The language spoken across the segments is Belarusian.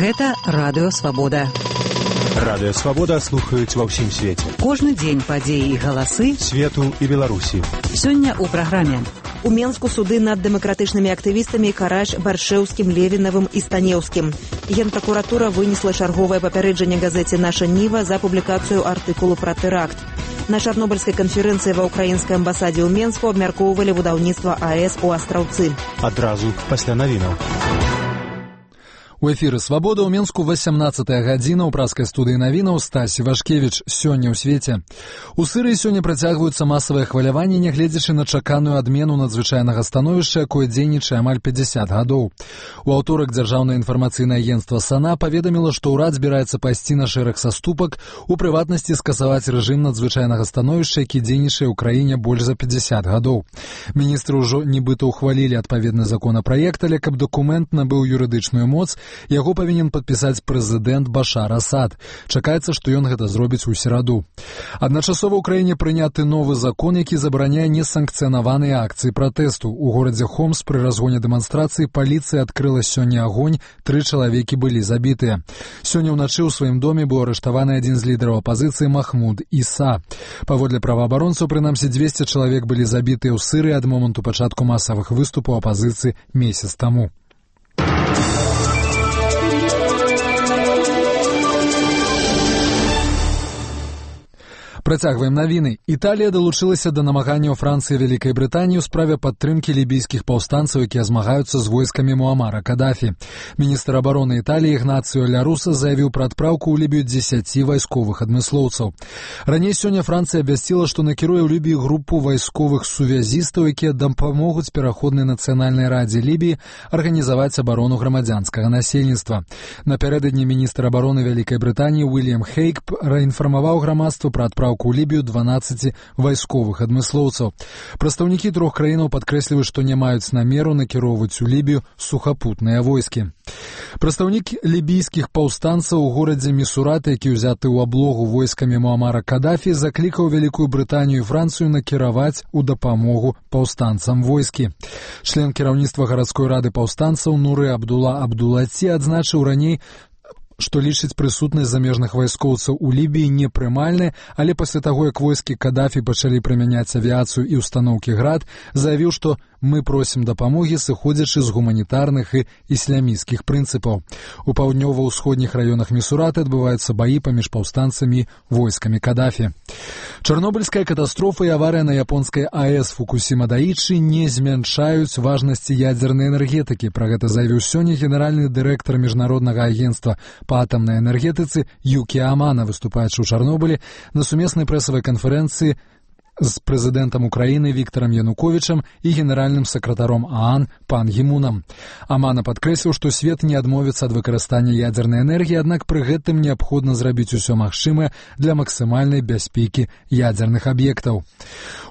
Гэта Радыё Свабода. Радыё Свабода слухаюць ва ўсім свеце. Кожны дзень падзеі і галасы свету і Беларусі. Сёння ў праграме. У Менску суды над дэмакратычнымі актывістамі Караш, Баршэўскім, Левінавым і Станеўскім. Генпракуратура вынесла чарговае папярэджанне газеце «Наша Ніва» за публікацыю артыкулу пра тэракт. На чарнобыльскай канферэнцыі ва ўкраінскай амбасадзе ў Менску абмяркоўвалі будаўніцтва АЭС у Астраўцы. Адразу пасля навінаў. У эфіры «Свабода» ў Менску 18-я гадзіна ў праскай студыі навінаў Стась Івашкевіч. Сёння ў свеце. У Сырыі сёння працягваюцца масавыя хваляванні, нягледзячы на чаканую адмену надзвычайнага становішча, якое дзейнічае амаль 50 гадоў. У аўторак дзяржаўнае інфармацыйнае агенцтва САНА паведаміла, што ўрад збіраецца пайсці на шэраг саступак, у прыватнасці скасаваць рэжым надзвычайнага становішча, які дзейнічае ў краіне больш за 50 гадоў. Міністры ўжо нібыта ўхвалілі адпаведны законапраект, але каб дакумент набыў юрыдычную моц, яго павінен падпісаць прэзідэнт Башар Асад. Чакаецца, што ён гэта зробіць у сераду. Адначасова ў краіне прыняты новы закон, які забараняе несанкцыянаваныя акцыі пратэсту. У горадзе Хомс пры разгоне дэманстрацыі паліцыя адкрыла сёння агонь, 3 чалавекі былі забітыя. Сёння ўначы ў сваім доме быў арыштаваны адзін з лідараў апазіцыі Махмуд Іса. Паводле праваабаронцаў, прынамсі 200 чалавек былі забітыя ў Сырыі ад моманту пачатку масавых выступаў апазіцыі месяц таму. Працягваем навіны. Італія далучылася да намаганняў Францыі і Вялікай Брытаніі ў справе падтрымкі лібійскіх паўстанцаў, якія змагаюцца з войскамі Муамара Кадафі. Міністр абароны Італіі Ігнацыо Ля Руса заявіў пра адпраўку ў Лібію 10 вайсковых адмыслоўцаў. Раней сёння Францыя абвясціла, што накіруе ў Лібіі групу вайсковых сувязістаў, якія дапамогуць пераходнай нацыянальнай радзе Лібіі арганізаваць абарону грамадзянскага насельніцтва. Напярэдадні міністр абароны Вялікай Брытаніі Уільям Хейк праінфармаваў грамадства пра адпраўку у Лібію 12 вайсковых адмыслоўцаў. Прадстаўнікі 3 краінаў падкрэсліваюць, што не маюць намеру накіроўваць у Лібію сухапутныя войскі. Прадстаўнік лібійскіх паўстанцаў у горадзе Місурат, які ўзяты ў аблогу войскамі Муамара Кадафі, заклікаў Вялікую Брытанію і Францыю накіраваць у дапамогу паўстанцам войскі. Член кіраўніцтва гарадской рады паўстанцаў Нуры Абдула Абдулаці адзначыў раней, што лічыць прысутнасць замежных вайскоўцаў у Лібіі непрымальнай, але пасля таго, як войскі Кадафі пачалі прымяняць авіяцыю і ўстаноўкі «Град», заявіў, што «мы просім дапамогі, сыходзячы з гуманітарных і ісламісцкіх прынцыпаў». У паўднёва-ўсходніх раёнах Місурата адбываюцца баі паміж паўстанцамі і войскамі Кадафі. Чарнобыльская катастрофа і аварыя на японскай АЭС Фукусіма-Даічы не змяншаюць важнасці ядзернай энергетыкі. Пра гэта заявіў сёння генеральны дырэктар міжнароднага агенцтва па атамнай энергетыцы Юкі Амана, выступаючы ў Чарнобылі на сумеснай прэсавай канферэнцыі з прэзідэнтам Украіны Віктарам Януковічам і генеральным сакратаром ААН Пан Гі-мунам. Амана падкрэсліў, што свет не адмовіцца ад выкарыстання ядзернай энергіі, аднак пры гэтым неабходна зрабіць усё магчымае для максімальнай бяспекі ядзерных аб'ектаў.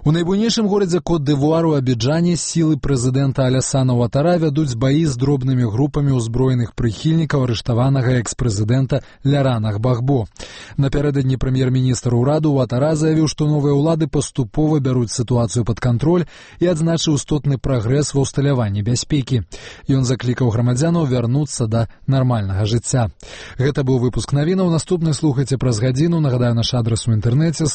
У найбуйнейшым горадзе Кот-д'Івуар у Абіджане сілы прэзідэнта Алясана Уатара вядуць баі з дробнымі групамі ўзброеных прыхільнікаў арыштаванага экс-прэзідэнта Лярана Гбагбо. Напярэдадні прэм'ер-міністр ураду Уатара заявіў, што новыя ўлады паступова бяруць сітуацыю пад кантроль і адзначыў істотны прагрэс ва ўсталяванні бяспекі. Ён заклікаў грамадзянаў вярнуцца да нармальнага жыцця. Гэта быў выпуск навінаў. Наступны слухайце праз гадзіну. Нагадаю, наш адрас у інтэрнэце